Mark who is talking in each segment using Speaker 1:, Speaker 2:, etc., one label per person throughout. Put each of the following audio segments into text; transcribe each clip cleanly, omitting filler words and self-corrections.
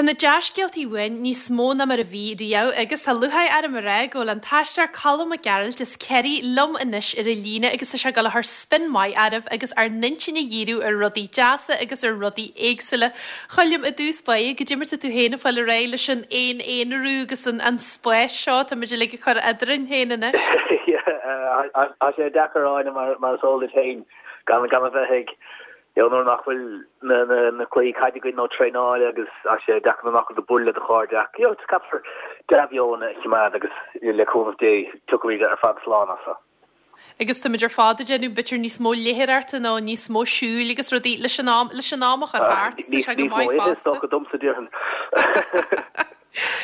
Speaker 1: Tá na dea-scéaltaí uainn níos mó ná mar a bhí riamh agus tá lúcháir orm a rá go bhfuil an t-aisteoir Colm Mac Gearailt as Ciarraí liom anois ar an líne agus tá sé ag dul a chur spin maith oraibh agus ár n-intinn a dhíriú ar rudaí deasa agus ar rudaí éagsúla. Choilm, i dtús báire, goidé mar tá tú féin ag fáil ar aghaidh leis an aon-aonarú agus an spás seo atá muid uilig ag cur eadrainn féin anois?
Speaker 2: Tá sé deacair Áine mar is eol duit féin gan a bheith ag You know, nuair nach bhfuil na cluichí caide againn nó traenáil agus tá sé deacair nuair nach bhfuil tú ag bualadh le do chairde ach you know, caithfear dea-mheon a choimeád agus le cúnamh Dé tiocfaimid ar fad slán as seo.
Speaker 1: Agus táimid ar fad ag déanamh b'fhéidir níos mó léitheoireachta nó níos mó siúil agus rudaí leis an am, leis an am a chur thart, tá sé go maith
Speaker 2: fosta. Níos mó ithe is dócha domsa déarfainn.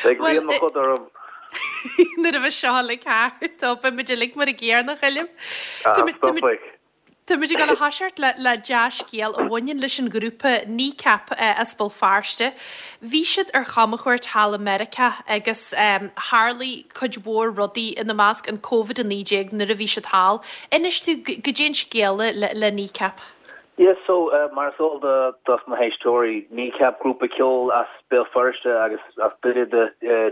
Speaker 2: Beidh rian mo choda orm.
Speaker 1: Nuair a bheidh seo uilig thart, beimid uilig mar an gcéanna, a Choilm.
Speaker 2: Ah, stopfaidh.
Speaker 1: Táimid ag dul a thoiseacht le dea-scéal a bhaineann leis an ghrúpa Kneecap as Béal Feirste. Bhí siad ar chamchuairt thall i Meiriceá agus tharlaigh cuid mhór rudaí, ina measc an Covid-19 nuair a bhí siad thall. Inis tú goidé an scéal le Kneecap.
Speaker 2: Yeah so mar is eol do dos na héisteoirí, Kneecap, grúpa ceoil as Béal Feirste agus as Doire do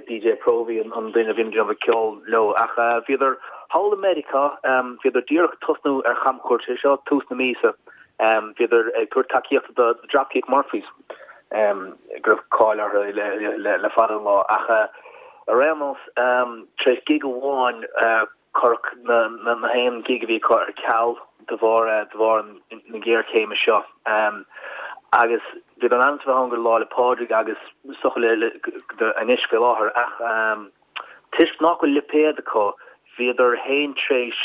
Speaker 2: DJ Próvaí an duine a bhíonn ag déanamh ceoil leo ach bhíodar thall i Meiriceá, bhíodar díreach ag tosnú ar chamchuairt, sé seo tús na míosa, bhíodar ag tabhairt tacaíochta do Dropkick Murphys, go raibh cáil orthu le fada an lá ach ar aon nós tar éis gig amháin, Cuireadh na haon gig a bhí acu ar ceal de bharr de bharr na géarchéime seo agus bhíodar in ainm is a bheith ann go Lá 'le Pádraig agus is dócha le anois faoi láthair ach toisc nach bhfuil lipéad acu bhíodar féin tréis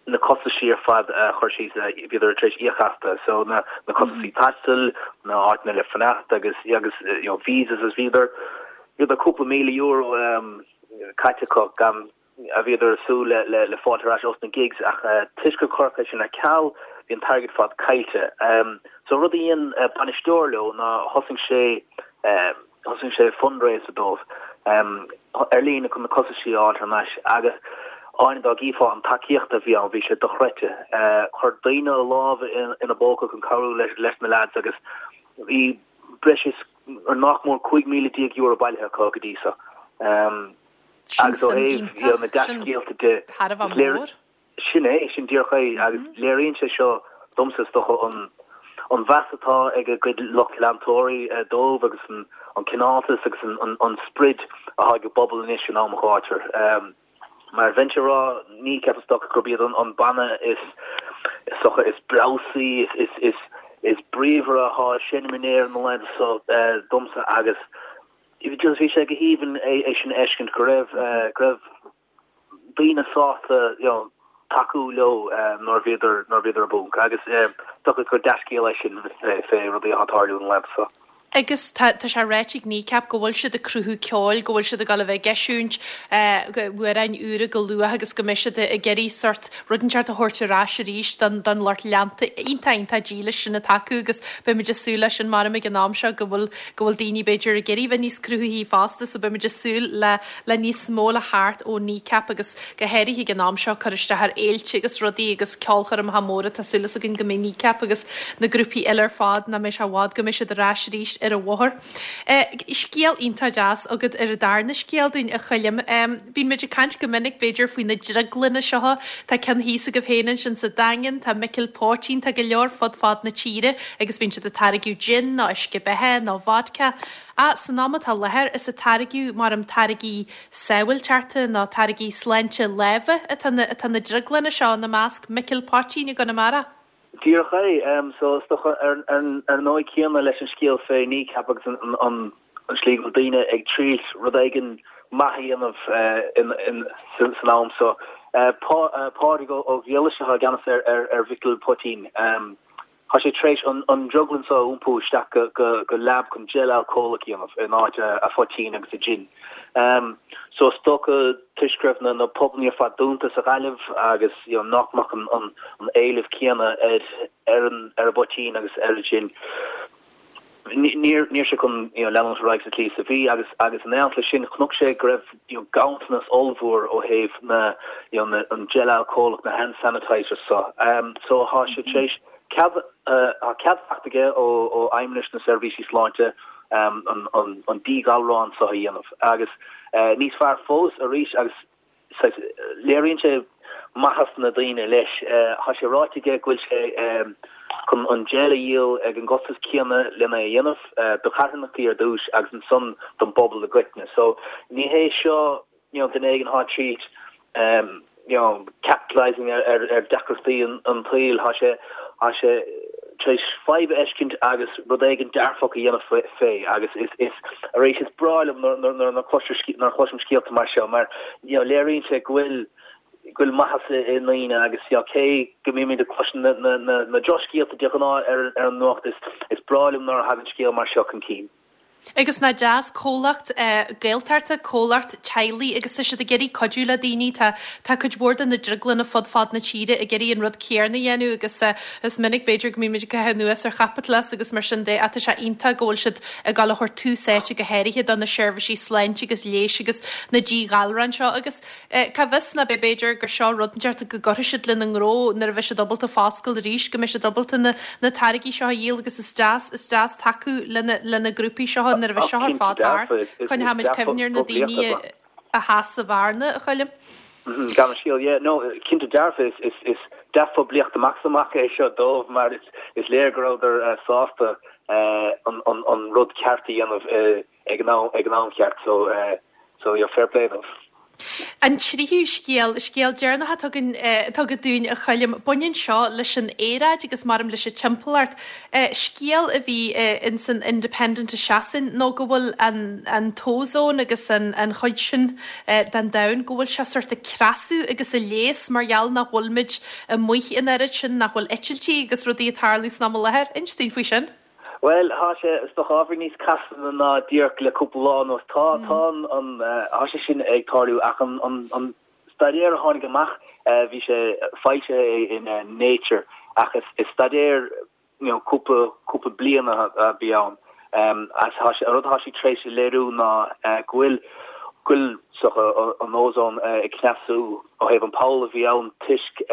Speaker 2: na costaisí ar fad a chur síos, bhíodar tar éis íoc astu, so na na costaisí taistil, na áiteanna le fanacht agus agus you know visas agus bhíodar bhíodar cúpla €1,000 caite acu gan a bhíodar ag súil le fáilt ar ais ós na gigs ach toisc gur cuireadh é sin ar ceal bhí an t-airgead ar fad caillte. So rud a dhein bainisteoir leo ná thosaigh sé thosaigh sé fundraiser dóibh ar líne chun na costaisí a fháil thar n-ais agus Áine dá gcífeá an tacaíocht a bhí ann bhí sé dochreidte. Chuir daoine a lámh ina bpóca chun cabhrú leis na leaids agus bhí breis is nach mór €15,000 bailithe acu go dtí so.
Speaker 1: Sin Agus ó suim thaobh you know, na
Speaker 2: iontach, sin dea-scéalta de,
Speaker 1: thar a bheith is léir, mór.
Speaker 2: sin é, sin díreach é, agus léiríonn sé seo domsa is dócha an an mheas atá ag a gcuid lucht leantóirí dóibh agus an an cineáltas agus an an an sprid atá ag an bpobal anois in am an ghátair. Mar bheinnse ag rá, Kneecap is dócha gurb iad an an banna is is dócha is breabhsaí, is is is is bríomhaire atá ag seinm in Éirinn na laethanta seo domsa agus Just bhí sé go haoibhinn é sin a fheiscint, go raibh, go raibh daoine sásta, you know, tacú leo nuair a bhíodar, nuair a bhíodar i bponc agus is dócha gur dea-scéal é sin fé rudaí atá ag tarlú na laethanta
Speaker 1: seo. Agus tá, tá sé ráite ag Kneecap go bhfuil siad ag cruthú ceoil, go bhfuil siad ag dul a bheith ag eisiúint amhráin úra go luath agus go mbeidh siad ag iarraidh sort rud inteacht a thabhairt ar ais arís don, don lucht leanta iontach, iontach dílis sin atá acu agus beimid ag súil leis sin maram ag an am seo go bhfuil go bhfuil daoine b'fhéidir ag iarraidh bheith níos cruthaithí fosta so beimid ag súil le le níos mó le theacht ó Kneecap agus go háirithe ag an am seo cur isteach ar fhéilte agus rudaí agus ceolchoirmeacha móra tá súil againn go mbeidh Kneecap agus na grúpaí eile ar fad nach mbeidh sé i bhfad go mbeidh siad ar ais arís ar an bhóthar. Scéal iontach deas agat ar an darna scéal dúinn a Choilm. Bíonn muid ag caint go minic b'fhéidir faoi na drioglanna seo, tá ceann thíos agaibh féin ansin sa Daingean, tá Micil Póitín, tá go leor fud fad na tíre agus bíonn siad ag táirgeadh gin nó uisce beatha nó vodka. Ach san am atá i láthair is ag táirgeadh maram táirgí sábháilteachta nó táirgí sláinte láimhe atá na atá na drioglanna seo, ina measc Micil Poitín i gConamara.
Speaker 2: Díreach é. So is dócha ar ar an ndóigh céanna leis an scéal fé Kneecap agus an an an slí go bhfuil daoine ag triail rud éigin maith a dhéanamh san am so. Pádraig Ó Griallais atá i gceannas ar ar ar Mhicil Poitín. Tá sé tar éis an drioglann seo a iompú isteach go lab chun gel alcólach a dhéanamh in áit a phoitín agus a gin. So is dócha toisc go raibh na pubannaí ar fad dúnta sa Ghaillimh agus you know nach mbeadh an éileamh céanna ar ar an ar an bpoitín agus ar an gin. Níor níor sé chun you know leanúint ar aghaidh sa tslí is a bhí agus agus in éineacht leis sin chonaic sé go raibh you know ganntanas ollmhór ó thaobh na you know na an gel alcólach na hand sanitizers so. So tá sé tar éis cead tá cead faighte aige ó ó Fheidhmeannas na Seirbhísí Sláinte. an díghalrán seo a dhéanamh. Agus níos fearr fós arís agus saghas léiríonn sé maitheas na daoine leis. Tá sé ráite aige go bhfuil sé chun an gel a dhíol ag an gcostas céanna lena a dhéanamh do charthanachtaí ar dtús agus ansan don bpobal i gcoitinne. So ní hé seo you know duine éigin atá tríd you know capitalising ar ar deacrachtaí an tsaoil. Tá sé tá sé tar éis fadhb a fheiscint agus rud éigin dearfach a dhéanamh fé agus is is arís is breá liom nuair nuair nuair a chloisim scéalta mar seo mar you know léiríonn sé go bhfuil go bhfuil maitheas i ndaoine agus you know cé go mbímid ag cloisint na na na na drochscéalta de ghnáth ar ar an nuacht is is breá liom nuair a thagann scéal mar seo chun cinn.
Speaker 1: Agus nach deas, comhlacht Gaeltachta, comhlacht teaghlaigh agus tá siad ag iarraidh cuidiú le daoine. Tá tá cuid mhór de na drioglanna fud fad na tíre ag iarraidh an rud céarna a dhéanamh agus is minic b'fhéidir go mbímid ag caitheamh anuas ar chaipitleachas agus mar sin de ach tá sé iontach go bhfuil siad ag dul a thabhairt tús áite go háirithe do na seirbhísí sláinte agus leighis agus na díghalráin seo agus Cá bhfios ná b'fhéidir gur seo rud inteacht go gcuirfidh siad lena ngnó nuair a bheidh siad ábalta foscailt arís, go mbeidh siad ábalta na na táirgí seo a dhíol agus is deas, is deas tacú lena lena grúpaí seo nuair a bheidh seo ar fad thart. Coinneoimid cuimhne ar na daoine a sheas sa bhearna, a Choilm.
Speaker 2: Gan an scéal, yeah, no, cinnte dearfa, is is is dea-phoiblíocht amach is amach é seo dóibh mar is is léir go rabhadar sásta an an an rud ceart a dhéanamh ag an am ag an am cheart so so yeah fair play dóibh.
Speaker 1: An tríú scéal, scéal deireanach atá againn atá agat dúinn a Choilm, baineann seo leis an aeráid agus maram leis an timpeallacht. Scéal a bhí ins an Independent i Sasain nó go bhfuil an an t-ózón agus an an chuid sin den domhan, go bhfuil sé sort ag cneasú agus ag leigheas mar gheall nach bhfuilimid amuigh an oiread sin, nach bhfuil eitiltí agus rudaí ag tarlú san am i láthair. Inis dúinn faoi sin.
Speaker 2: Bhuel, tá sé, is dócha, ábhar níos casta ná díreach le cúpla lá anuas. Tá, tá an, an, tá sé sin ag tarlú ach an, an, an staidéar a tháinig amach, bhí sé foilsithe in Nature ach is, is staidéar, you know, cúpla, cúpla bliain a bhí ann. Agus tá sé, an rud atá sé tar éis a léiriú ná go bhfuil, go bhfuil, is dócha, an ozone ag cneasú ó thaobh an poll a bhí ann toisc,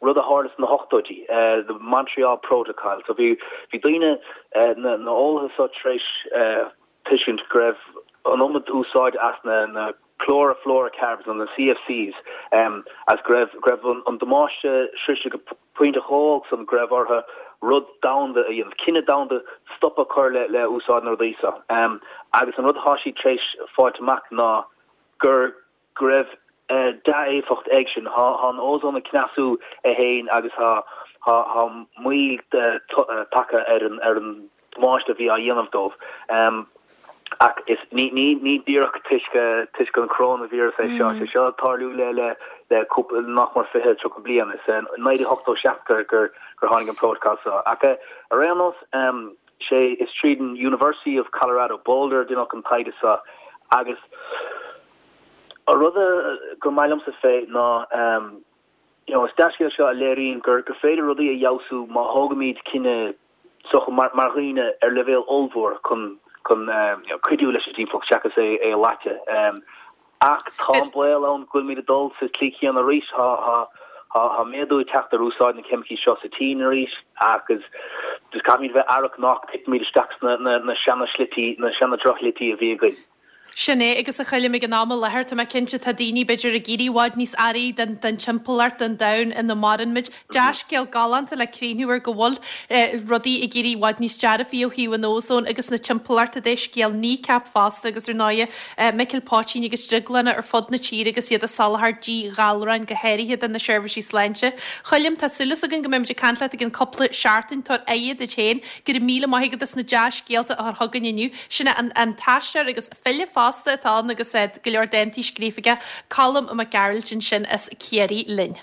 Speaker 2: rud a tharla sna hochtóidí, the Montreal Protocol. So bhí bhí daoine, na na eolaithe seo tar éis tuiscint go raibh an iomad úsáid as na na chlorofluorocarbons nó na CFCs agus go raibh go raibh an damáiste sroiste go pointe chomh holc san go raibh orthu rud domhanda a dhéanamh, cinneadh domhanda stop a chur le le úsáid na rudaí seo. Agus an rud atá siad tar éis fáilt amach ná gur go raibh dea-éifeacht ag sin. Tá an ózón ag cneasú é féin agus tá moill tagtha ar an damáiste a bhí á dhéanamh dóibh. Ach is ní díreach toisc an coróinvíreas é seo. Sé seo ag tarlú le le cúpla, nach mór 20, 30 bliain. Is in 1987 gur tháinig an prótacal seo. Ach ar aon nós, sé is tríd an University of Colorado Boulder a deineadh an taighde seo agus An rud gur maith liomsa fé ná you know is dea-scéal seo a léiríonn gur gur féidir rudaí a fheabhsú má thógaimid cinneadh socha mar mar dhaoine ar leibhéal ollmhór chun chun you know cuidiú leis an dtimpeallacht seachas é é a loiceadh. Ach tá an baol ann go bhfuilimid ag dul sa tslí chéanna arís. Tá tá tá tá méadú ag teacht ar úsáid na ceimicí seo sa tSín arís agus just caithfimid bheith aireach nach dtitfimid isteach sna na na seana shlití na seana drochshlití a bhí againn.
Speaker 1: Sin é, agus a Choilm, ag an am i láthair, tá mé cinnte, tá daoine, b'fhéidir, ag éirí i bhfad níos airí den, den timpeallacht, den domhan ina maireann muid. Dea-scéal galánta le críochnú ar go bhfuil rudaí ag éirí i bhfad níos dearfaí ó thaobh an ózóin agus na timpeallachta de. Scéal Kneecap fosta agus ar ndóighe, Micil Póitín agus drioglanna ar fud na tíre agus iad ag soláthar díghalráin go háirithe do na seirbhísí sláinte. Choilm, tá súil againn go mbeimid ag caint leat i gcionn cúpla seachtain. Tabhair aire duit féin. Go raibh míle maith agat as na dea-scéalta a chur chugainn inniu. Sin é an t-aisteoir agus file fosta atá ann agus go leor dántaí scríofa aige, Colm Mac Gearailt ansin as Ciarraí linn.